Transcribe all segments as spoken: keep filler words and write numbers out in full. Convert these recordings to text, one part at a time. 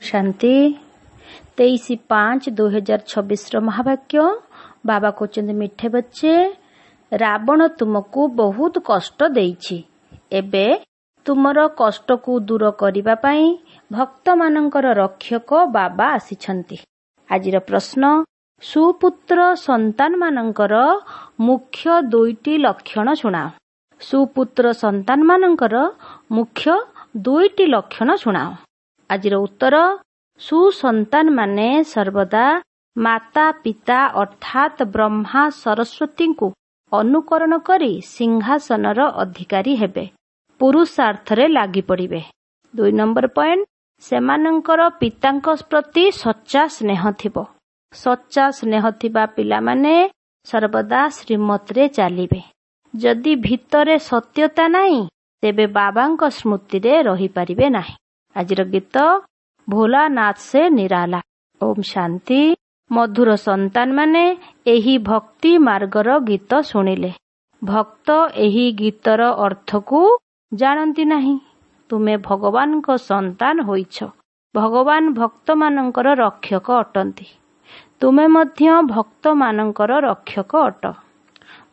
ଶାନ୍ତି। ତେଇଶ ପାଞ୍ଚ ଦୁଇ ହଜାର ଛବିଶର ମହାବାକ୍ୟ। ବାବା କହୁଛନ୍ତି, ମିଠେ ବଚ୍ଚେ, ରାବଣ ତୁମକୁ ବହୁତ କଷ୍ଟ ଦେଇଛି। ଏବେ ତୁମର କଷ୍ଟକୁ ଦୂର କରିବା ପାଇଁ ଭକ୍ତମାନଙ୍କର ରକ୍ଷକ ବାବା ଆସିଛନ୍ତି। ଆଜିର ପ୍ରଶ୍ନ, ସୁପୁତ୍ର ସନ୍ତାନମାନଙ୍କର ମୁଖ୍ୟ ଦୁଇଟି ଲକ୍ଷଣ ଶୁଣାଅ। ସୁପୁତ୍ର ସନ୍ତାନମାନଙ୍କର ମୁଖ୍ୟ ଦୁଇଟି ଲକ୍ଷଣ ଶୁଣାଅ। ଆଜିର ଉତ୍ତର, ସୁସନ୍ତାନମାନେ ସର୍ବଦା ମାତା ପିତା ଅର୍ଥାତ୍ ବ୍ରହ୍ମା ସରସ୍ୱତୀଙ୍କୁ ଅନୁକରଣ କରି ସିଂହାସନର ଅଧିକାରୀ ହେବେ, ପୁରୁଷାର୍ଥରେ ଲାଗି ପଡ଼ିବେ। ଦୁଇ ନମ୍ବର ପଏଣ୍ଟ, ସେମାନଙ୍କର ପିତାଙ୍କ ପ୍ରତି ସଚ୍ଚା ସ୍ନେହ ଥିବ। ସଚ୍ଚା ସ୍ନେହ ଥିବା ପିଲାମାନେ ସର୍ବଦା ଶ୍ରୀମତରେ ଚାଲିବେ। ଯଦି ଭିତରେ ସତ୍ୟତା ନାହିଁ, ତେବେ ବାବାଙ୍କ ସ୍ମୃତିରେ ରହିପାରିବେ ନାହିଁ। ଆଜିର ଗୀତ, ଭୋଲାନାଥ ସେ ନିରାଲା। ଓମ୍ ଶାନ୍ତି। ମଧୁର ସନ୍ତାନମାନେ ଏହି ଭକ୍ତି ମାର୍ଗର ଗୀତ ଶୁଣିଲେ। ଭକ୍ତ ଏହି ଗୀତର ଅର୍ଥକୁ ଜାଣନ୍ତି ନାହିଁ। ତୁମେ ଭଗବାନଙ୍କ ସନ୍ତାନ ହୋଇଛ। ଭଗବାନ ଭକ୍ତମାନଙ୍କର ରକ୍ଷକ ଅଟନ୍ତି। ତୁମେ ମଧ୍ୟ ଭକ୍ତମାନଙ୍କର ରକ୍ଷକ ଅଟ।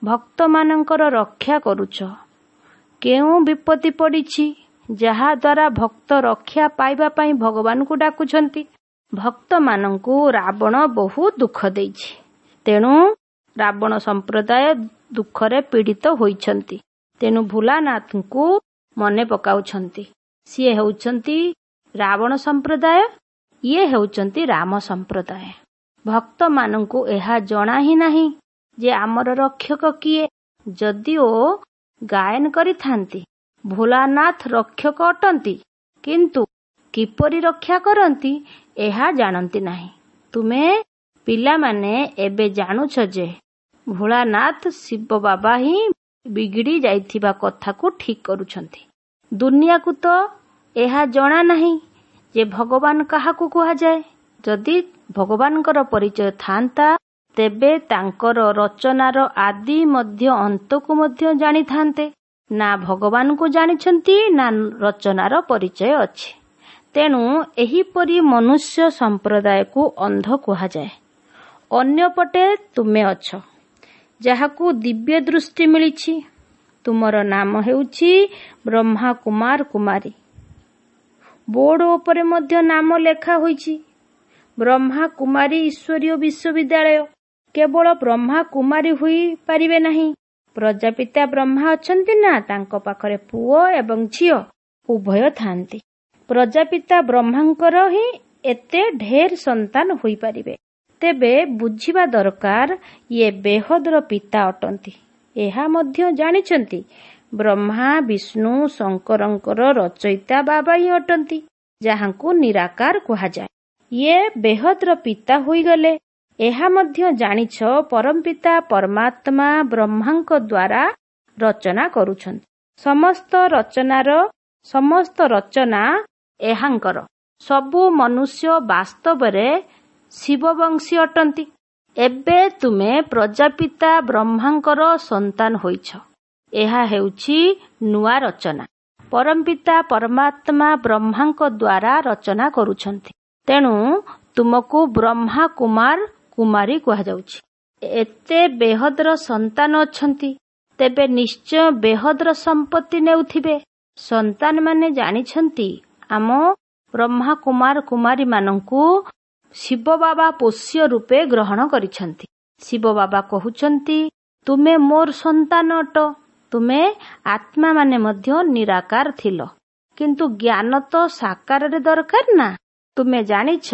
ଭକ୍ତମାନଙ୍କର ରକ୍ଷା କରୁଛ। କେଉଁ ବିପତ୍ତି ପଡ଼ିଛି, ଯାହାଦ୍ୱାରା ଭକ୍ତ ରକ୍ଷା ପାଇବା ପାଇଁ ଭଗବାନଙ୍କୁ ଡାକୁଛନ୍ତି? ଭକ୍ତମାନଙ୍କୁ ରାବଣ ବହୁତ ଦୁଃଖ ଦେଇଛି। ତେଣୁ ରାବଣ ସମ୍ପ୍ରଦାୟ ଦୁଃଖରେ ପୀଡ଼ିତ ହୋଇଛନ୍ତି। ତେଣୁ ଭୋଲାନାଥଙ୍କୁ ମନେ ପକାଉଛନ୍ତି। ସିଏ ହେଉଛନ୍ତି ରାବଣ ସମ୍ପ୍ରଦାୟ, ଇଏ ହେଉଛନ୍ତି ରାମ ସମ୍ପ୍ରଦାୟ। ଭକ୍ତମାନଙ୍କୁ ଏହା ଜଣା ହିଁ ନାହିଁ ଯେ ଆମର ରକ୍ଷକ କିଏ। ଯଦିଓ ଗାୟନ କରିଥାନ୍ତି, ଭୋଲାନାଥ ରକ୍ଷକ ଅଟନ୍ତି, କିନ୍ତୁ କିପରି ରକ୍ଷା କରନ୍ତି ଏହା ଜାଣନ୍ତି ନାହିଁ। ତୁମେ ପିଲାମାନେ ଏବେ ଜାଣୁଛ ଯେ ଭୋଳାନାଥ ଶିବ ବାବା ହିଁ ବିଗିଡ଼ି ଯାଇଥିବା କଥାକୁ ଠିକ୍ କରୁଛନ୍ତି। ଦୁନିଆକୁ ତ ଏହା ଜଣା ନାହିଁ ଯେ ଭଗବାନ କାହାକୁ କୁହାଯାଏ। ଯଦି ଭଗବାନଙ୍କର ପରିଚୟ ଥାନ୍ତା, ତେବେ ତାଙ୍କର ରଚନାର ଆଦି ମଧ୍ୟ ଅନ୍ତକୁ ମଧ୍ୟ ଜାଣିଥାନ୍ତେ। ନା ଭଗବାନଙ୍କୁ ଜାଣିଛନ୍ତି, ନା ରଚନାର ପରିଚୟ ଅଛି। ତେଣୁ ଏହିପରି ମନୁଷ୍ୟ ସମ୍ପ୍ରଦାୟକୁ ଅନ୍ଧ କୁହାଯାଏ। ଅନ୍ୟପଟେ ତୁମେ ଅଛ, ଯାହାକୁ ଦିବ୍ୟ ଦୃଷ୍ଟି ମିଳିଛି। ତୁମର ନାମ ହେଉଛି ବ୍ରହ୍ମା କୁମାର କୁମାରୀ। ବୋର୍ଡ ଉପରେ ମଧ୍ୟ ନାମ ଲେଖା ହୋଇଛି, ବ୍ରହ୍ମା କୁମାରୀ ଈଶ୍ୱରୀୟ ବିଶ୍ୱବିଦ୍ୟାଳୟ। କେବଳ ବ୍ରହ୍ମା କୁମାରୀ ହୋଇପାରିବେ ନାହିଁ। ପ୍ରଜାପିତା ବ୍ରହ୍ମା ଅଛନ୍ତି ନା, ତାଙ୍କ ପାଖରେ ପୁଅ ଏବଂ ଝିଅ ଉଭୟ ଥାନ୍ତି। ପ୍ରଜାପିତା ବ୍ରହ୍ମାଙ୍କର ହିଁ ଏତେ ଢେର ସନ୍ତାନ ହୋଇପାରିବେ। ତେବେ ବୁଝିବା ଦରକାର, ଇଏ ବେହଦର ପିତା ଅଟନ୍ତି। ଏହା ମଧ୍ୟ ଜାଣିଛନ୍ତି, ବ୍ରହ୍ମା ବିଷ୍ଣୁ ଶଙ୍କରଙ୍କର ରଚୟିତା ବାବା ହିଁ ଅଟନ୍ତି, ଯାହାଙ୍କୁ ନିରାକାର କୁହାଯାଏ। ଇଏ ବେହଦର ପିତା ହୋଇଗଲେ। ଏହା ମଧ୍ୟ ଜାଣିଛ, ପରମପିତା ପରମାତ୍ମା ବ୍ରହ୍ମାଙ୍କ ଦ୍ୱାରା ରଚନା କରୁଛନ୍ତି। ସମସ୍ତ ରଚନାର ସମସ୍ତ ରଚନା ଏହାଙ୍କର। ସବୁ ମନୁଷ୍ୟ ବାସ୍ତବରେ ଶିବବଂଶୀ ଅଟନ୍ତି। ଏବେ ତୁମେ ପ୍ରଜାପିତା ବ୍ରହ୍ମାଙ୍କର ସନ୍ତାନ ହୋଇଛ। ଏହା ହେଉଛି ନୂଆ ରଚନା। ପରମପିତା ପରମାତ୍ମା ବ୍ରହ୍ମାଙ୍କ ଦ୍ୱାରା ରଚନା କରୁଛନ୍ତି। ତେଣୁ ତୁମକୁ ବ୍ରହ୍ମା କୁମାର କୁମାରୀ କୁହାଯାଉଛି। ଏତେ ବେହଦର ସନ୍ତାନ ଅଛନ୍ତି, ତେବେ ନିଶ୍ଚୟ ବେହଦର ସମ୍ପତ୍ତି ନେଉଥିବେ। ସନ୍ତାନମାନେ ଜାଣିଛନ୍ତି, ଆମ ବ୍ରହ୍ମା କୁମାର କୁମାରୀମାନଙ୍କୁ ଶିବ ବାବା ପୋଷ୍ୟ ରୂପେ ଗ୍ରହଣ କରିଛନ୍ତି। ଶିବ ବାବା କହୁଛନ୍ତି, ତୁମେ ମୋର ସନ୍ତାନ ଅଟ। ତୁମେ ଆତ୍ମାମାନେ ମଧ୍ୟ ନିରାକାର ଥିଲ, କିନ୍ତୁ ଜ୍ଞାନ ତ ସାକାରରେ ଦରକାର ନା। ତୁମେ ଜାଣିଛ,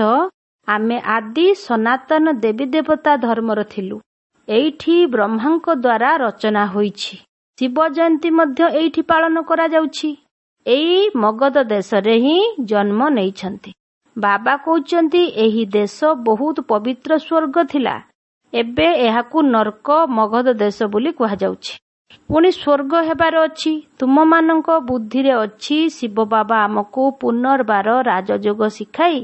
ଆମେ ଆଦି ସନାତନ ଦେବୀ ଦେବତା ଧର୍ମର ଥିଲୁ। ଏଇଠି ବ୍ରହ୍ମାଙ୍କ ଦ୍ୱାରା ରଚନା ହୋଇଛି। ଶିବ ଜୟନ୍ତୀ ମଧ୍ୟ ଏଇଠି ପାଳନ କରାଯାଉଛି। ଏଇ ମଗଧ ଦେଶରେ ହିଁ ଜନ୍ମ ନେଇଛନ୍ତି। ବାବା କହୁଛନ୍ତି, ଏହି ଦେଶ ବହୁତ ପବିତ୍ର ସ୍ୱର୍ଗ ଥିଲା। ଏବେ ଏହାକୁ ନର୍କ ମଗଧ ଦେଶ ବୋଲି କୁହାଯାଉଛି। ପୁଣି ସ୍ୱର୍ଗ ହେବାର ଅଛି। ତୁମମାନଙ୍କ ବୁଦ୍ଧିରେ ଅଛି, ଶିବ ବାବା ଆମକୁ ପୁନର୍ବାର ରାଜଯୋଗ ଶିଖାଇ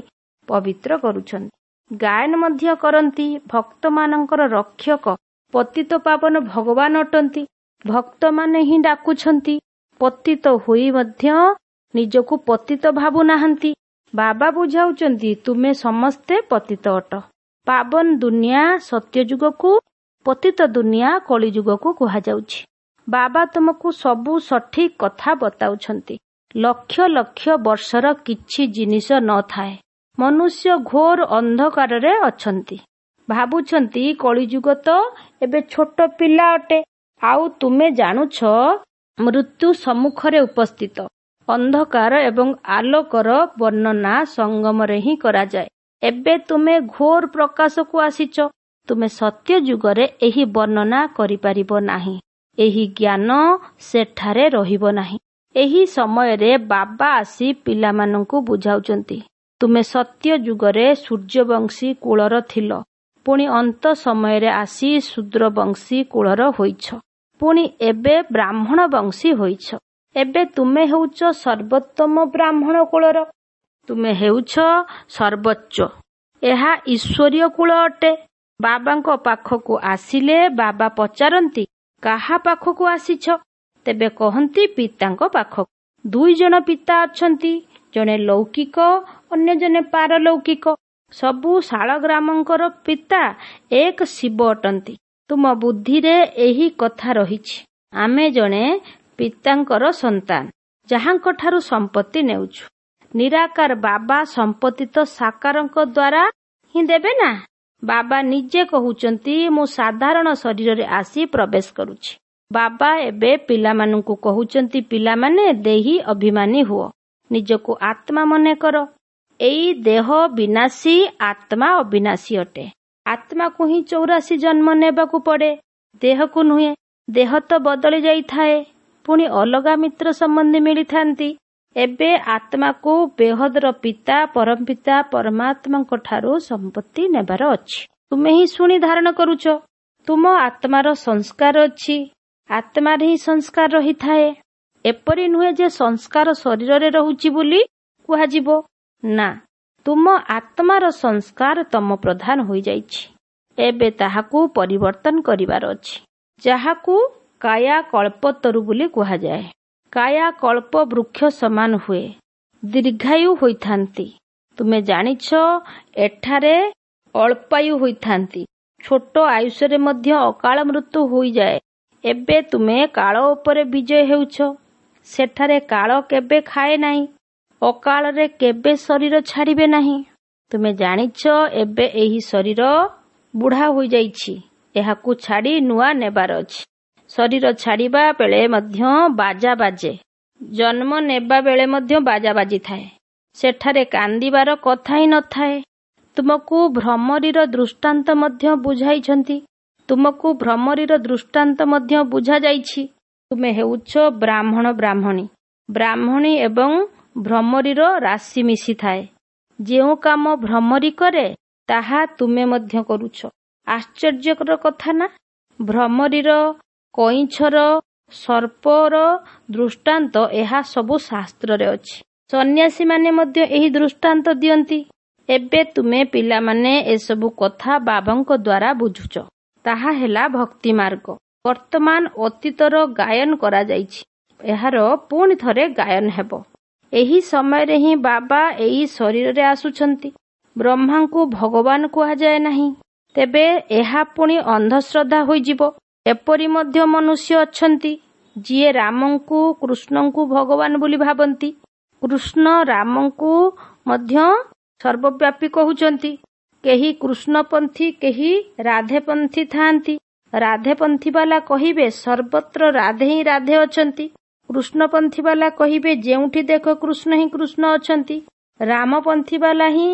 ପବିତ୍ର କରୁଛନ୍ତି। ଗାୟନ ମଧ୍ୟ କରନ୍ତି, ଭକ୍ତମାନଙ୍କର ରକ୍ଷକ ପତିତ ପାବନ ଭଗବାନ ଅଟନ୍ତି। ଭକ୍ତମାନେ ହିଁ ଡାକୁଛନ୍ତି। ପତିତ ହୋଇ ମଧ୍ୟ ନିଜକୁ ପତିତ ଭାବୁନାହାନ୍ତି। ବାବା ବୁଝାଉଛନ୍ତି ତୁମେ ସମସ୍ତେ ପତିତ ଅଟ। ପାବନ ଦୁନିଆ ସତ୍ୟଯୁଗକୁ, ପତିତ ଦୁନିଆ କଳିଯୁଗକୁ କୁହାଯାଉଛି। ବାବା ତୁମକୁ ସବୁ ସଠିକ କଥା ବତାଉଛନ୍ତି। ଲକ୍ଷ ଲକ୍ଷ ବର୍ଷର କିଛି ଜିନିଷ ନ ଥାଏ। ମନୁଷ୍ୟ ଘୋର ଅନ୍ଧକାରରେ ଅଛନ୍ତି। ଭାବୁଛନ୍ତି କଳିଯୁଗ ତ ଏବେ ଛୋଟ ପିଲା ଅଟେ, ଆଉ ତୁମେ ଜାଣୁଛ ମୃତ୍ୟୁ ସମ୍ମୁଖରେ ଉପସ୍ଥିତ। ଅନ୍ଧକାର ଏବଂ ଆଲୋକର ବର୍ଣ୍ଣନା ସଙ୍ଗମରେ ହିଁ କରାଯାଏ। ଏବେ ତୁମେ ଘୋର ପ୍ରକାଶକୁ ଆସିଛ। ତୁମେ ସତ୍ୟଯୁଗରେ ଏହି ବର୍ଣ୍ଣନା କରିପାରିବ ନାହିଁ। ଏହି ଜ୍ଞାନ ସେଠାରେ ରହିବ ନାହିଁ। ଏହି ସମୟରେ ବାବା ଆସି ପିଲାମାନଙ୍କୁ ବୁଝାଉଛନ୍ତି, ତୁମେ ସତ୍ୟଯୁଗରେ ସୂର୍ଯ୍ୟବଂଶୀ କୁଳର ଥିଲ, ପୁଣି ଅନ୍ତ ସମୟରେ ଆସି ଶୂଦ୍ରବଂଶୀ କୁଳର ହୋଇଛ, ପୁଣି ଏବେ ବ୍ରାହ୍ମଣ ବଂଶୀ ହୋଇଛ। ଏବେ ତୁମେ ହେଉଛ ସର୍ବୋତ୍ତମ ବ୍ରାହ୍ମଣ କୁଳର। ତୁମେ ହେଉଛ ସର୍ବୋଚ୍ଚ। ଏହା ଈଶ୍ୱରୀୟ କୁଳ ଅଟେ। ବାବାଙ୍କ ପାଖକୁ ଆସିଲେ ବାବା ପଚାରନ୍ତି, କାହା ପାଖକୁ ଆସିଛ? ତେବେ କହନ୍ତି ପିତାଙ୍କ ପାଖକୁ। ଦୁଇ ଜଣ ପିତା ଅଛନ୍ତି, ଜଣେ ଲୌକିକ, ଅନ୍ୟ ଜଣେ ପାରଲୌକିକ। ସବୁ ଶାଳଗ୍ରାମଙ୍କର ପିତା ଏକ ଶିବ ଅଟନ୍ତି। ତୁମ ବୁଦ୍ଧିରେ ଏହି କଥା ରହିଛି, ଆମେ ଜଣେ ପିତାଙ୍କର ସନ୍ତାନ, ଯାହାଙ୍କଠାରୁ ସମ୍ପତ୍ତି ନେଉଛୁ। ନିରାକାର ବାବା ସମ୍ପତ୍ତି ତ ସାକାରଙ୍କ ଦ୍ୱାରା ହିଁ ଦେବେ ନା। ବାବା ନିଜେ କହୁଛନ୍ତି ମୁଁ ସାଧାରଣ ଶରୀରରେ ଆସି ପ୍ରବେଶ କରୁଛି। ବାବା ଏବେ ପିଲାମାନଙ୍କୁ କହୁଛନ୍ତି, ପିଲାମାନେ ଦେହୀ ଅଭିମାନୀ ହୁଅ, ନିଜକୁ ଆତ୍ମା ମନେ କର। ଏଇ ଦେହ ବିନାଶୀ, ଆତ୍ମା ଅବିନାଶୀ ଅଟେ। ଆତ୍ମାକୁ ହିଁ ଚଉରାଶୀ ଜନ୍ମ ନେବାକୁ ପଡେ, ଦେହକୁ ନୁହେଁ। ଦେହ ତ ବଦଳି ଯାଇଥାଏ, ପୁଣି ଅଲଗା ମିତ୍ର ସମ୍ବନ୍ଧୀ ମିଳିଥାନ୍ତି। ଏବେ ଆତ୍ମାକୁ ବେହଦର ପିତା ପରମପିତା ପରମାତ୍ମାଙ୍କ ଠାରୁ ସମ୍ପତ୍ତି ନେବାର ଅଛି। ତୁମେ ହିଁ ଶୁଣି ଧାରଣ କରୁଛ। ତୁମ ଆତ୍ମାର ସଂସ୍କାର ଅଛି, ଆତ୍ମାରେ ହିଁ ସଂସ୍କାର ରହିଥାଏ। ଏପରି ନୁହେଁ ଯେ ସଂସ୍କାର ଶରୀରରେ ରହୁଛି ବୋଲି କୁହାଯିବ। ନା, ତୁମ ଆତ୍ମାର ସଂସ୍କାର ତମ ପ୍ରଧାନ ହୋଇଯାଇଛି। ଏବେ ତାହାକୁ ପରିବର୍ତ୍ତନ କରିବାର ଅଛି, ଯାହାକୁ କାୟା କଳ୍ପତରୁ ବୋଲି କୁହାଯାଏ। କାୟା କଳ୍ପ ବୃକ୍ଷ ସମାନ ହୁଏ, ଦୀର୍ଘାୟୁ ହୋଇଥାନ୍ତି। ତୁମେ ଜାଣିଛ ଏଠାରେ ଅଳ୍ପାୟୁ ହୋଇଥାନ୍ତି। ଛୋଟ ଆୟୁଷରେ ମଧ୍ୟ ଅକାଳ ମୃତ୍ୟୁ ହୋଇଯାଏ। ଏବେ ତୁମେ କାଳ ଉପରେ ବିଜୟ ହେଉଛ। ସେଠାରେ କାଳ କେବେ ଖାଏ ନାହିଁ, ଅକାଳରେ କେବେ ଶରୀର ଛାଡ଼ିବେ ନାହିଁ। ତୁମେ ଜାଣିଛ ଏବେ ଏହି ଶରୀର ବୁଢ଼ା ହୋଇଯାଇଛି, ଏହାକୁ ଛାଡ଼ି ନୂଆ ନେବାର ଅଛି। ଶରୀର ଛାଡ଼ିବା ବେଳେ ମଧ୍ୟ ବାଜା ବାଜେ, ଜନ୍ମ ନେବା ବେଳେ ମଧ୍ୟ ବାଜା ବାଜିଥାଏ। ସେଠାରେ କାନ୍ଦିବାର କଥା ହିଁ ନଥାଏ। ତୁମକୁ ଭ୍ରମରୀର ଦୃଷ୍ଟାନ୍ତ ମଧ୍ୟ ବୁଝାଇଛନ୍ତି। ତୁମକୁ ଭ୍ରମରୀର ଦୃଷ୍ଟାନ୍ତ ମଧ୍ୟ ବୁଝାଯାଇଛି। ତୁମେ ହେଉଛ ବ୍ରାହ୍ମଣ ବ୍ରାହ୍ମଣୀ। ବ୍ରାହ୍ମଣୀ ଏବଂ ଭ୍ରମରୀର ରାଶି ମିଶିଥାଏ। ଯେଉଁ କାମ ଭ୍ରମରୀ କରେ ତାହା ତୁମେ ମଧ୍ୟ କରୁଛ। ଆଶ୍ଚର୍ଯ୍ୟକର କଥା ନା? ଭ୍ରମରୀର, କଇଁଛର, ସର୍ପର ଦୃଷ୍ଟାନ୍ତ ଏହା ସବୁ ଶାସ୍ତ୍ରରେ ଅଛି। ସନ୍ନ୍ୟାସୀମାନେ ମଧ୍ୟ ଏହି ଦୃଷ୍ଟାନ୍ତ ଦିଅନ୍ତି। ଏବେ ତୁମେ ପିଲାମାନେ ଏସବୁ କଥା ବାବାଙ୍କ ଦ୍ୱାରା ବୁଝୁଛ। ତାହା ହେଲା ଭକ୍ତି ମାର୍ଗ। ବର୍ତ୍ତମାନ ଅତୀତର ଗାୟନ କରାଯାଇଛି, ଏହାର ପୁଣି ଥରେ ଗାୟନ ହେବ। ଏହି ସମୟରେ ହିଁ ବାବା ଏଇ ଶରୀରରେ ଆସୁଛନ୍ତି। ବ୍ରହ୍ମାଙ୍କୁ ଭଗବାନ କୁହାଯାଏ ନାହିଁ, ତେବେ ଏହା ପୁଣି ଅନ୍ଧଶ୍ରଦ୍ଧା ହୋଇଯିବ। ଏପରି ମଧ୍ୟ ମନୁଷ୍ୟ ଅଛନ୍ତି ଯିଏ ରାମଙ୍କୁ କୃଷ୍ଣଙ୍କୁ ଭଗବାନ ବୋଲି ଭାବନ୍ତି। କୃଷ୍ଣ ରାମଙ୍କୁ ମଧ୍ୟ ସର୍ବବ୍ୟାପୀ କହୁଛନ୍ତି। କେହି କୃଷ୍ଣପନ୍ଥୀ, କେହି ରାଧେପନ୍ଥୀ ଥାଆନ୍ତି। ରାଧେପନ୍ଥୀ ବାଲା କହିବେ ସର୍ବତ୍ର ରାଧେ ହିଁ ରାଧେ ଅଛନ୍ତି। କୃଷ୍ଣପନ୍ଥୀ ବାଲା କହିବେ ଯେଉଁଠି ଦେଖ କୃଷ୍ଣ ହିଁ କୃଷ୍ଣ ଅଛନ୍ତି। ରାମପନ୍ଥୀ ବାଲା ହିଁ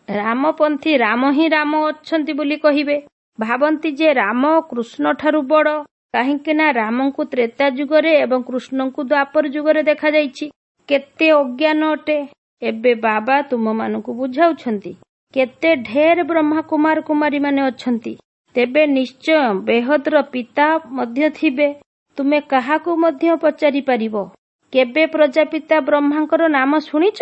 ରାମପନ୍ଥୀ ରାମ ହିଁ ରାମ ଅଛନ୍ତି ବୋଲି କହିବେ। ଭାବନ୍ତି ଯେ ରାମ କୃଷ୍ଣ ଠାରୁ ବଡ଼, କାହିଁକି ନା ରାମଙ୍କୁ ତ୍ରେତା ଯୁଗରେ ଏବଂ କୃଷ୍ଣଙ୍କୁ ଦ୍ୱାପର ଯୁଗରେ ଦେଖାଯାଇଛି। କେତେ ଅଜ୍ଞାନ ଅଟେ। ଏବେ ବାବା ତୁମମାନଙ୍କୁ ବୁଝାଉଛନ୍ତି। କେତେ ଢେର ବ୍ରହ୍ମା କୁମାର କୁମାରୀ ମାନେ ଅଛନ୍ତି, ତେବେ ନିଶ୍ଚୟ ବେହଦର ପିତା ମଧ୍ୟ ଥିବେ। ତୁମେ କାହାକୁ ମଧ୍ୟ ପଚାରି ପାରିବ। କେବେ ପ୍ରଜାପିତା ବ୍ରହ୍ମାଙ୍କର ନାମ ଶୁଣିଛ?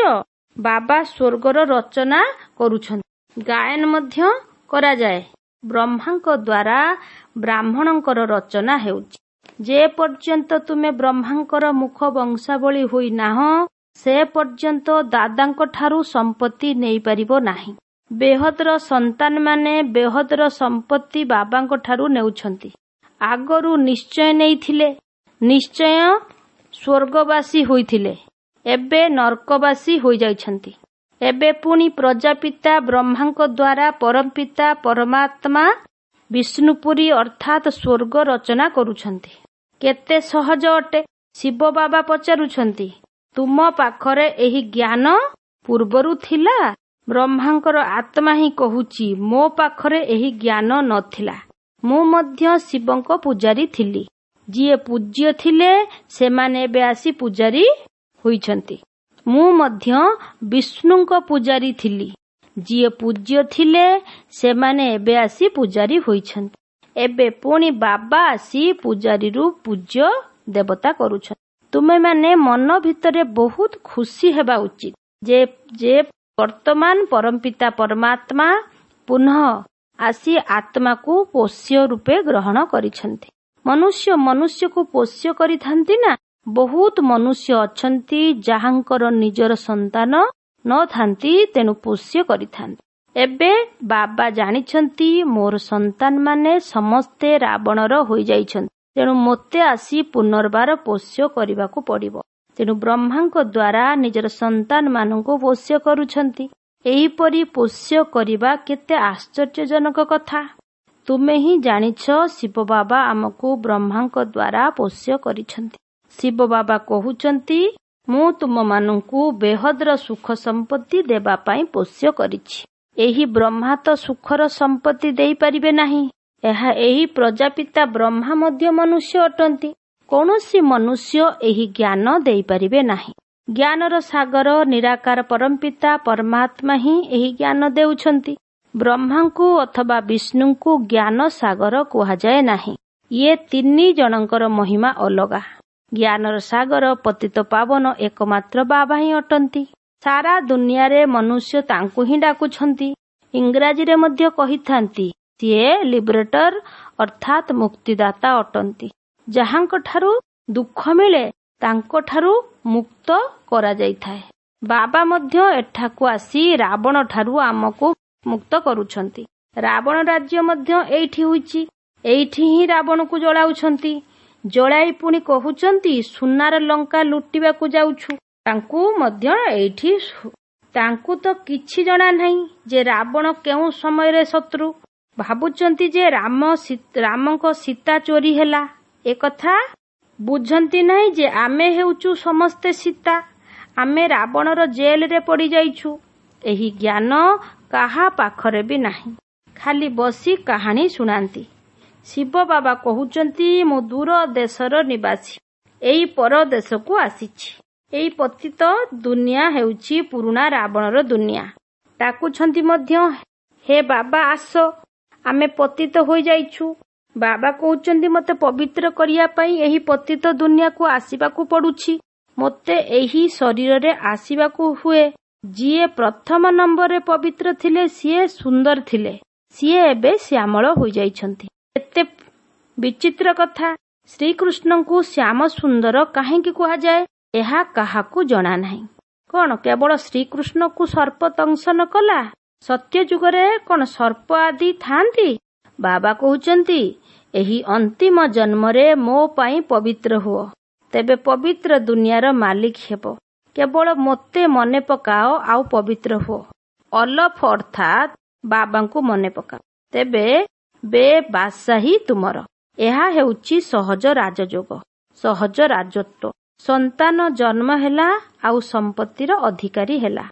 ବାବା ସ୍ୱର୍ଗର ରଚନା କରୁଛନ୍ତି, ଗାୟନ ମଧ୍ୟ କରାଯାଏ। ବ୍ରହ୍ମାଙ୍କ ଦ୍ୱାରା ବ୍ରାହ୍ମଣଙ୍କର ରଚନା ହେଉଛି। ଯେ ପର୍ଯ୍ୟନ୍ତ ତୁମେ ବ୍ରହ୍ମାଙ୍କର ମୁଖ ବଂଶାବଳୀ ହୋଇନାହଁ, ସେ ପର୍ଯ୍ୟନ୍ତ ଦାଦାଙ୍କ ଠାରୁ ସମ୍ପତ୍ତି ନେଇପାରିବ ନାହିଁ। ବେହଦର ସନ୍ତାନମାନେ ବେହଦର ସମ୍ପତ୍ତି ବାବାଙ୍କ ଠାରୁ ନେଉଛନ୍ତି। ଆଗରୁ ନିଶ୍ଚୟ ନେଇଥିଲେ, ନିଶ୍ଚୟ ସ୍ୱର୍ଗବାସୀ ହୋଇଥିଲେ, ଏବେ ନର୍କବାସୀ ହୋଇଯାଇଛନ୍ତି। ଏବେ ପୁଣି ପ୍ରଜାପିତା ବ୍ରହ୍ମାଙ୍କ ଦ୍ୱାରା ପରମପିତା ପରମାତ୍ମା ବିଷ୍ଣୁପୁରୀ ଅର୍ଥାତ୍ ସ୍ୱର୍ଗ ରଚନା କରୁଛନ୍ତି। କେତେ ସହଜ ଅଟେ। ଶିବ ବାବା ପଚାରୁଛନ୍ତି, ତୁମ ପାଖରେ ଏହି ଜ୍ଞାନ ପୂର୍ବରୁ ଥିଲା? ବ୍ରହ୍ମାଙ୍କର ଆତ୍ମା ହିଁ କହୁଛି, ମୋ ପାଖରେ ଏହି ଜ୍ଞାନ ନଥିଲା। ମୁଁ ମଧ୍ୟ ଶିବଙ୍କ ପୂଜାରୀ ଥିଲି। ଯିଏ ପୂଜ୍ୟ ଥିଲେ ସେମାନେ ଏବେ ଆସି ପୂଜାରୀ ହୋଇଛନ୍ତି। ମୁଁ ମଧ୍ୟ ବିଷ୍ଣୁଙ୍କ ପୂଜାରୀ ଥିଲି। ଯିଏ ପୂଜ୍ୟ ଥିଲେ ସେମାନେ ଏବେ ଆସି ପୂଜାରୀ ହୋଇଛନ୍ତି। ଏବେ ପୁଣି ବାବା ଆସି ପୂଜାରୀରୁ ପୂଜ୍ୟ ଦେବତା କରୁଛନ୍ତି। ତୁମେମାନେ ମନ ଭିତରେ ବହୁତ ଖୁସି ହେବା ଉଚିତ ଯେ ଯେ ବର୍ତ୍ତମାନ ପରମପିତା ପରମାତ୍ମା ପୁନଃ ଆସି ଆତ୍ମାକୁ ପୋଷ୍ୟ ରୂପେ ଗ୍ରହଣ କରିଛନ୍ତି। ମନୁଷ୍ୟ ମନୁଷ୍ୟକୁ ପୋଷ୍ୟ କରିଥାନ୍ତି ନା। ବହୁତ ମନୁଷ୍ୟ ଅଛନ୍ତି ଯାହାଙ୍କର ନିଜର ସନ୍ତାନ ନଥାନ୍ତି, ତେଣୁ ପୋଷ୍ୟ କରିଥାନ୍ତି। ଏବେ ବାବା ଜାଣିଛନ୍ତି ମୋର ସନ୍ତାନମାନେ ସମସ୍ତେ ରାବଣର ହୋଇଯାଇଛନ୍ତି, ତେଣୁ ମୋତେ ଆସି ପୁନର୍ବାର ପୋଷ୍ୟ କରିବାକୁ ପଡ଼ିବ। ତେଣୁ ବ୍ରହ୍ମାଙ୍କ ଦ୍ୱାରା ନିଜର ସନ୍ତାନମାନଙ୍କୁ ପୋଷ୍ୟ କରୁଛନ୍ତି। ଏହିପରି ପୋଷ୍ୟ କରିବା କେତେ ଆଶ୍ଚର୍ଯ୍ୟଜନକ କଥା। ତୁମେ ହିଁ ଜାଣିଛ ଶିବ ବାବା ଆମକୁ ବ୍ରହ୍ମାଙ୍କ ଦ୍ୱାରା ପୋଷ୍ୟ କରିଛନ୍ତି। ଶିବ ବାବା କହୁଛନ୍ତି, ମୁଁ ତୁମମାନଙ୍କୁ ବେହଦର ସୁଖ ସମ୍ପତ୍ତି ଦେବା ପାଇଁ ପୋଷ୍ୟ କରିଛି। ଏହି ବ୍ରହ୍ମା ତ ସୁଖର ସମ୍ପତ୍ତି ଦେଇପାରିବେ ନାହିଁ। ଏହା ଏହି ପ୍ରଜାପିତା ବ୍ରହ୍ମା ମଧ୍ୟ ମନୁଷ୍ୟ ଅଟନ୍ତି। କୌଣସି ମନୁଷ୍ୟ ଏହି ଜ୍ଞାନ ଦେଇପାରିବେ ନାହିଁ। ଜ୍ଞାନର ସାଗର ନିରାକାର ପରମପିତା ପରମାତ୍ମା ହିଁ ଏହି ଜ୍ଞାନ ଦେଉଛନ୍ତି। ବ୍ରହ୍ମାଙ୍କୁ ଅଥବା ବିଷ୍ଣୁଙ୍କୁ ଜ୍ଞାନ ସାଗର କୁହାଯାଏ ନାହିଁ। ଇଏ ତିନି ଜଣଙ୍କର ମହିମା ଅଲଗା। ଜ୍ଞାନର ସାଗର ପତିତ ପାବନ ଏକମାତ୍ର ବାବା ହିଁ ଅଟନ୍ତି। ସାରା ଦୁନିଆରେ ମନୁଷ୍ୟ ତାଙ୍କୁ ହିଁ ଡାକୁଛନ୍ତି। ଇଂରାଜୀରେ ମଧ୍ୟ କହିଥାନ୍ତି ସିଏ ଲିବରେଟର ଅର୍ଥାତ୍ ମୁକ୍ତିଦାତା ଅଟନ୍ତି। ଯାହାଙ୍କଠାରୁ ଦୁଃଖ ମିଳେ ତାଙ୍କଠାରୁ ମୁକ୍ତ କରାଯାଇଥାଏ। ବାବା ମଧ୍ୟ ଏଠାକୁ ଆସି ରାବଣ ଠାରୁ ଆମକୁ ମୁକ୍ତ କରୁଛନ୍ତି। ରାବଣ ରାଜ୍ୟ ମଧ୍ୟ ଏଇଠି ହୋଇଛି। ଏଇଠି ହିଁ ରାବଣକୁ ଜଳାଉଛନ୍ତି। ଜଳାଇ ପୁଣି କହୁଛନ୍ତି ସୁନାର ଲଙ୍କା ଲୁଟିବାକୁ ଯାଉଛୁ। ତାଙ୍କୁ ମଧ୍ୟ ଏଇଠି ତାଙ୍କୁ ତ କିଛି ଜଣା ନାହିଁ ଯେ ରାବଣ କେଉଁ ସମୟରେ ଶତ୍ରୁ। ଭାବୁଛନ୍ତି ଯେ ରାମ ରାମଙ୍କ ସୀତା ଚୋରି ହେଲା। ଏକଥା ବୁଝନ୍ତି ନାହିଁ ଯେ ଆମେ ହେଉଛୁ ସମସ୍ତେ ସୀତା। ଆମେ ରାବଣର ଜେଲରେ ପଡ଼ିଯାଇଛୁ। ଏହି ଜ୍ଞାନ କାହା ପାଖରେ ବି ନାହିଁ। ଖାଲି ବସି କାହାଣୀ ଶୁଣାନ୍ତି। ଶିବ ବାବା କହୁଛନ୍ତି ମୁଁ ଦୂର ଦେଶର ନିବାସୀ, ଏଇ ପରଦେଶକୁ ଆସିଛି। ଏଇ ପତିତ ଦୁନିଆ ହେଉଛି ପୁରୁଣା ରାବଣର ଦୁନିଆ। ଡାକୁଛନ୍ତି ମଧ୍ୟ, ହେ ବାବା ଆସ, ଆମେ ପତିତ ହୋଇଯାଇଛୁ। ବାବା କହୁଛନ୍ତି ମୋତେ ପବିତ୍ର କରିବା ପାଇଁ ଏହି ପତିତ ଦୁନିଆକୁ ଆସିବାକୁ ପଡୁଛି। ମୋତେ ଏହି ଶରୀରରେ ଆସିବାକୁ ହୁଏ। ଯିଏ ପ୍ରଥମ ନମ୍ବରରେ ପବିତ୍ର ଥିଲେ ସିଏ ସୁନ୍ଦର ଥିଲେ, ସିଏ ଏବେ ଶ୍ୟାମଳ ହୋଇଯାଇଛନ୍ତି। କେତେ ବିଚିତ୍ର କଥା। ଶ୍ରୀକୃଷ୍ଣଙ୍କୁ ଶ୍ୟାମ ସୁନ୍ଦର କାହିଁକି କୁହାଯାଏ ଏହା କାହାକୁ ଜଣା ନାହିଁ। କଣ କେବଳ ଶ୍ରୀକୃଷ୍ଣକୁ ସର୍ପ ଦଂଶନ କଲା? ସତ୍ୟ ଯୁଗରେ କଣ ସର୍ପ ଆଦି ଥାନ୍ତି? ବାବା କହୁଛନ୍ତି ଏହି ଅନ୍ତିମ ଜନ୍ମରେ ମୋ ପାଇଁ ପବିତ୍ର ହୁଅ, ତେବେ ପବିତ୍ର ଦୁନିଆର ମାଲିକ ହେବ। କେବଳ ମୋତେ ମନେ ପକାଅ ଆଉ ପବିତ୍ର ହୁଅ। ଅଲଫ ଅର୍ଥାତ୍ ବାବାଙ୍କୁ ମନେ ପକାଅ, ତେବେ ବେବାସାହି ତୁମର। ଏହା ହେଉଛି ସହଜ ରାଜଯୋଗ, ସହଜ ରାଜତ୍ୱ। ସନ୍ତାନ ଜନ୍ମ ହେଲା ଆଉ ସମ୍ପତ୍ତିର ଅଧିକାରୀ ହେଲା।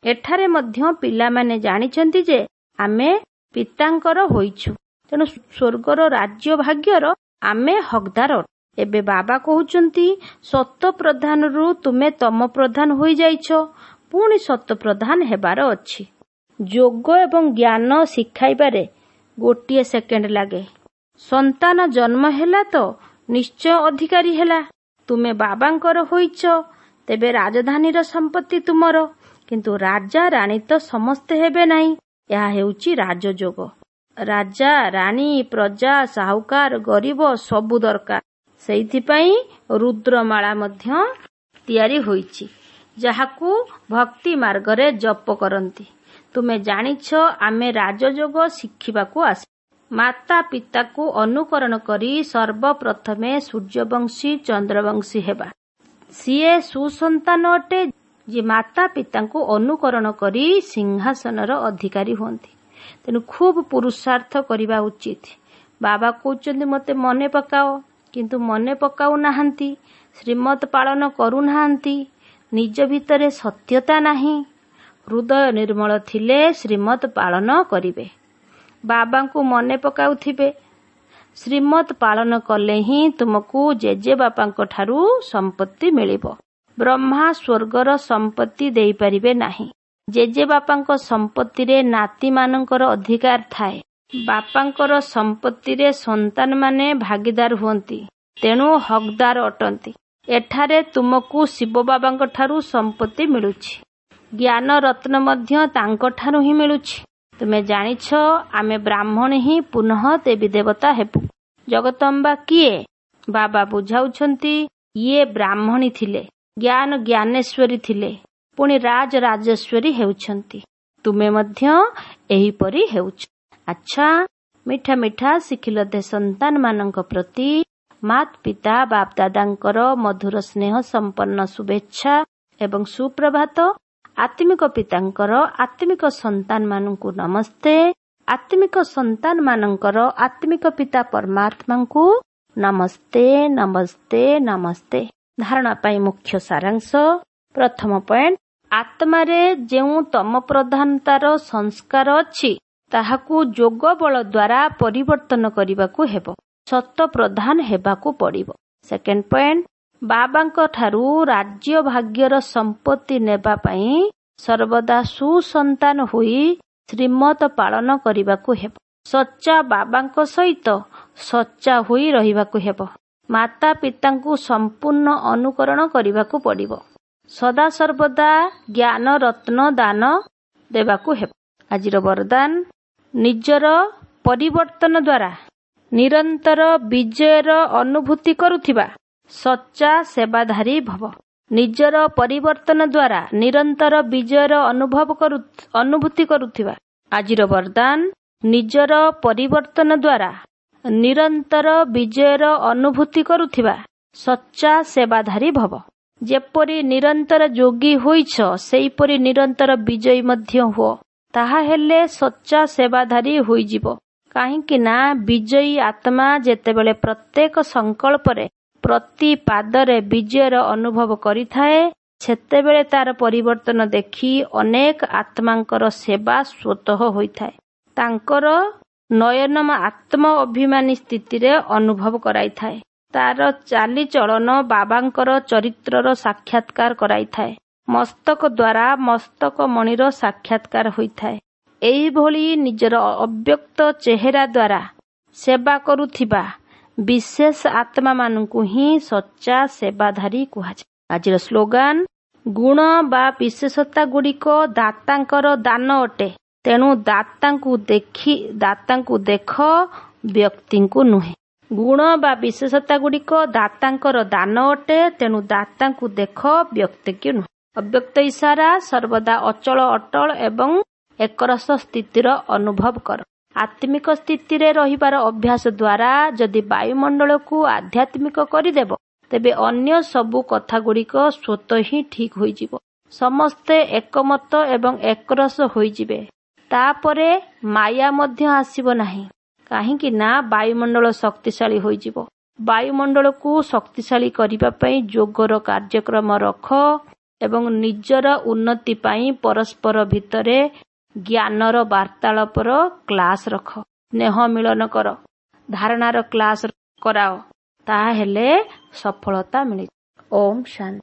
ଏଠାରେ ମଧ୍ୟ ପିଲାମାନେ ଜାଣିଛନ୍ତି ଯେ ଆମେ ପିତାଙ୍କର ହୋଇଛୁ, ତେଣୁ ସ୍ୱର୍ଗର ରାଜ୍ୟ ଭାଗ୍ୟର ଆମେ ହକଦାର। ଏବେ ବାବା କହୁଛନ୍ତି ସତ ପ୍ରଧାନରୁ ତୁମେ ତମ ପ୍ରଧାନ ହୋଇଯାଇଛ, ପୁଣି ସତ ପ୍ରଧାନ ହେବାର ଅଛି। ଯୋଗ ଏବଂ ଜ୍ଞାନ ଶିଖାଇବାରେ ଗୋଟିଏ ସେକେଣ୍ଡ ଲାଗେ। ସନ୍ତାନ ଜନ୍ମ ହେଲା ତ ନିଶ୍ଚୟ ଅଧିକାରୀ ହେଲା। ତୁମେ ବାବାଙ୍କର ହୋଇଛ, ତେବେ ରାଜଧାନୀର ସମ୍ପତ୍ତି ତୁମର। କିନ୍ତୁ ରାଜା ରାଣୀ ତ ସମସ୍ତେ ହେବେ ନାହିଁ। ଏହା ହେଉଛି ରାଜଯୋଗ। ରାଜା ରାଣୀ, ପ୍ରଜା, ସାହୁକାର, ଗରିବ ସବୁ ଦରକାର। ସେଇଥିପାଇଁ ରୁଦ୍ରମାଳା ମଧ୍ୟ ତିଆରି ହୋଇଛି। ଯାହାକୁ ଭକ୍ତି ମାର୍ଗରେ ଜପ କରନ୍ତି। ତୁମେ ଜାଣିଛ ଆମେ ରାଜଯୋଗ ଶିଖିବାକୁ ଆସି ମାତା ପିତାକୁ ଅନୁକରଣ କରି ସର୍ବପ୍ରଥମେ ସୂର୍ଯ୍ୟବଂଶୀ ଚନ୍ଦ୍ରବଂଶୀ ହେବା। ସିଏ ସୁସନ୍ତାନ ଅଟେ ଯିଏ ମାତା ପିତାଙ୍କୁ ଅନୁକରଣ କରି ସିଂହାସନର ଅଧିକାରୀ ହୁଅନ୍ତି। ତେଣୁ ଖୁବ୍ ପୁରୁଷାର୍ଥ କରିବା ଉଚିତ। ବାବା କହୁଛନ୍ତି ମୋତେ ମନେ ପକାଅ, କିନ୍ତୁ ମନେ ପକାଉ ନାହାନ୍ତି, ଶ୍ରୀମତ ପାଳନ କରୁନାହାନ୍ତି, ନିଜ ଭିତରେ ସତ୍ୟତା ନାହିଁ। ହୃଦୟ ନିର୍ମଳ ଥିଲେ ଶ୍ରୀମତ ପାଳନ କରିବେ, ବାବାଙ୍କୁ ମନେ ପକାଉଥିବେ। ଶ୍ରୀମତ ପାଳନ କଲେ ହିଁ ତୁମକୁ ଜେଜେବାପାଙ୍କ ଠାରୁ ସମ୍ପତ୍ତି ମିଳିବ। ବ୍ରହ୍ମା ସ୍ୱର୍ଗର ସମ୍ପତ୍ତି ଦେଇପାରିବେ ନାହିଁ। ଜେଜେବାପାଙ୍କ ସମ୍ପତ୍ତିରେ ନାତିମାନଙ୍କର ଅଧିକାର ଥାଏ। ବାପାଙ୍କର ସମ୍ପତ୍ତିରେ ସନ୍ତାନମାନେ ଭାଗୀଦାର ହୁଅନ୍ତି, ତେଣୁ ହକଦାର ଅଟନ୍ତି। ଏଠାରେ ତୁମକୁ ଶିବବାବାଙ୍କ ଠାରୁ ସମ୍ପତ୍ତି ମିଳୁଛି, ଜ୍ଞାନ ରତ୍ନ ମଧ୍ୟ ତାଙ୍କଠାରୁ ହିଁ ମିଳୁଛି। ତୁମେ ଜାଣିଛ ଆମେ ବ୍ରାହ୍ମଣ ହିଁ ପୁନଃ ଦେବୀ ଦେବତା ହେବୁ। ଜଗତମ୍ବା କିଏ? ବାବା ବୁଝାଉଛନ୍ତି, ଇଏ ବ୍ରାହ୍ମଣୀ ଥିଲେ, ଜ୍ଞାନ ଜ୍ଞାନେଶ୍ୱରୀ ଥିଲେ, ପୁଣି ରାଜ ରାଜେଶ୍ୱରୀ ହେଉଛନ୍ତି। ତୁମେ ମଧ୍ୟ ଏହିପରି ହେଉଛ। ଆଚ୍ଛା, ମିଠା ମିଠା ଶିଖିଲଧେ ସନ୍ତାନମାନଙ୍କ ପ୍ରତି ମାତ ପିତା ବାପଦାଦାଙ୍କର ମଧୁର ସ୍ନେହ ସମ୍ପନ୍ନ ଶୁଭେଚ୍ଛା ଏବଂ ସୁପ୍ରଭାତ। ଆତ୍ମିକ ପିତାଙ୍କର ଆତ୍ମିକ ସନ୍ତାନମାନଙ୍କୁ ନମସ୍ତେ। ଆତ୍ମିକ ସନ୍ତାନମାନଙ୍କର ଆତ୍ମିକ ପିତା ପରମାତ୍ମାଙ୍କୁ ନମସ୍ତେ, ନମସ୍ତେ, ନମସ୍ତେ। ଧାରଣା ପାଇଁ ମୁଖ୍ୟ ସାରାଂଶ। ପ୍ରଥମ ପଏଣ୍ଟ, ଆତ୍ମାରେ ଯେଉଁ ତମ ପ୍ରଧାନତାର ସଂସ୍କାର ଅଛି ତାହାକୁ ଯୋଗ ବଳ ଦ୍ୱାରା ପରିବର୍ତ୍ତନ କରିବାକୁ ହେବ, ସତ ପ୍ରଧାନ ହେବାକୁ ପଡ଼ିବ। ସେକେଣ୍ଡ ପଏଣ୍ଟ, ବାବାଙ୍କ ଠାରୁ ରାଜ୍ୟ ଭାଗ୍ୟର ସମ୍ପତ୍ତି ନେବା ପାଇଁ ସର୍ବଦା ସୁସନ୍ତାନ ହୋଇ ଶ୍ରୀମତ ପାଳନ କରିବାକୁ ହେବ। ସଚ୍ଚା ବାବାଙ୍କ ସହିତ ସଚ୍ଚା ହୋଇ ରହିବାକୁ ହେବ। ମାତା ପିତାଙ୍କୁ ସମ୍ପୂର୍ଣ୍ଣ ଅନୁକରଣ କରିବାକୁ ପଡ଼ିବ। ସଦା ସର୍ବଦା ଜ୍ଞାନ ରତ୍ନ ଦାନ ଦେବାକୁ ହେବ। ଆଜିର ବରଦାନ, ନିଜର ପରିବର୍ତ୍ତନ ଦ୍ୱାରା ନିରନ୍ତର ବିଜୟର ଅନୁଭୂତି କରୁଥିବା ସଚ୍ଚା ସେବାଧାରୀ ଭବ। ନିଜର ପରିବର୍ତ୍ତନ ଦ୍ୱାରା ନିରନ୍ତର ବିଜୟର ଅନୁଭବ କରୁ ଅନୁଭୂତି କରୁଥିବା। ଆଜିର ବରଦାନ, ନିଜର ପରିବର୍ତ୍ତନ ଦ୍ୱାରା ନିରନ୍ତର ବିଜୟର ଅନୁଭୂତି କରୁଥିବା ସଚ୍ଚା ସେବାଧାରୀ ଭବ। ଯେପରି ନିରନ୍ତର ଯୋଗୀ ହୋଇଛ, ସେହିପରି ନିରନ୍ତର ବିଜୟୀ ମଧ୍ୟ ହୁଅ, ତାହାହେଲେ ସଚ୍ଚା ସେବାଧାରୀ ହୋଇଯିବ। କାହିଁକି ନା ବିଜୟୀ ଆତ୍ମା ଯେତେବେଳେ ପ୍ରତ୍ୟେକ ସଂକଳ୍ପରେ ପ୍ରତି ପାଦରେ ବିଜୟର ଅନୁଭବ କରିଥାଏ, ସେତେବେଳେ ତାର ପରିବର୍ତ୍ତନ ଦେଖି ଅନେକ ଆତ୍ମାଙ୍କର ସେବା ସ୍ୱତଃ ହୋଇଥାଏ। ତାଙ୍କର ନୟନମ ଆତ୍ମ ଅଭିମାନୀ ସ୍ଥିତିରେ ଅନୁଭବ କରାଇଥାଏ। ତାର ଚାଲିଚଳନ ବାବାଙ୍କର ଚରିତ୍ରର ସାକ୍ଷାତକାର କରାଇଥାଏ। ମସ୍ତକ ଦ୍ୱାରା ମସ୍ତକ ମଣିର ସାକ୍ଷାତକାର ହୋଇଥାଏ। ଏହିଭଳି ନିଜର ଅବ୍ୟକ୍ତ ଚେହେରା ଦ୍ୱାରା ସେବା କରୁଥିବା ବିଶେଷ ଆତ୍ମାମାନଙ୍କୁ ହିଁ ସଚ୍ଚା ସେବାଧାରୀ କୁହାଯାଏ। ଆଜିର ସ୍ଲୋଗାନ, ଗୁଣ ବା ବିଶେଷତା ଗୁଡ଼ିକ ଦାତାଙ୍କର ଦାନ ଅଟେ, ତେଣୁ ଦାତାଙ୍କୁ ଦେଖି ଦାତାଙ୍କୁ ଦେଖ, ବ୍ୟକ୍ତିଙ୍କୁ ନୁହେଁ। ଗୁଣ ବା ବିଶେଷତା ଗୁଡ଼ିକ ଦାତାଙ୍କର ଦାନ ଅଟେ, ତେଣୁ ଦାତାଙ୍କୁ ଦେଖ, ବ୍ୟକ୍ତିକୁ ନୁହେଁ। ଅବ୍ୟକ୍ତ ଇସାରା, ସର୍ବଦା ଅଚଳ ଅଟଳ ଏବଂ ଏକରସ ସ୍ଥିତିର ଅନୁଭବ କର। ଆତ୍ମିକ ସ୍ଥିତିରେ ରହିବାର ଅଭ୍ୟାସ ଦ୍ୱାରା ଯଦି ବାୟୁମଣ୍ଡଳକୁ ଆଧ୍ୟାତ୍ମିକ କରିଦେବ, ତେବେ ଅନ୍ୟ ସବୁ କଥାଗୁଡ଼ିକ ସ୍ୱତଃ ହିଁ ଠିକ୍ ହୋଇଯିବ। ସମସ୍ତେ ଏକମତ ଏବଂ ଏକରସ ହୋଇଯିବେ। ତାପରେ ମାୟା ମଧ୍ୟ ଆସିବ ନାହିଁ। କାହିଁକି ନା ବାୟୁମଣ୍ଡଳ ଶକ୍ତିଶାଳୀ ହୋଇଯିବ। ବାୟୁମଣ୍ଡଳକୁ ଶକ୍ତିଶାଳୀ କରିବା ପାଇଁ ଯୋଗର କାର୍ଯ୍ୟକ୍ରମ ରଖ ଏବଂ ନିଜର ଉନ୍ନତି ପାଇଁ ପରସ୍ପର ଭିତରେ ଜ୍ଞାନର ବାର୍ତ୍ତାଳାପର କ୍ଲାସ ରଖ। ସ୍ନେହ ମିଳନ କର, ଧାରଣାର କ୍ଲାସ କରାଅ, ତାହେଲେ ସଫଳତା ମିଳିବ। ଓମ୍ ଶାନ୍ତି।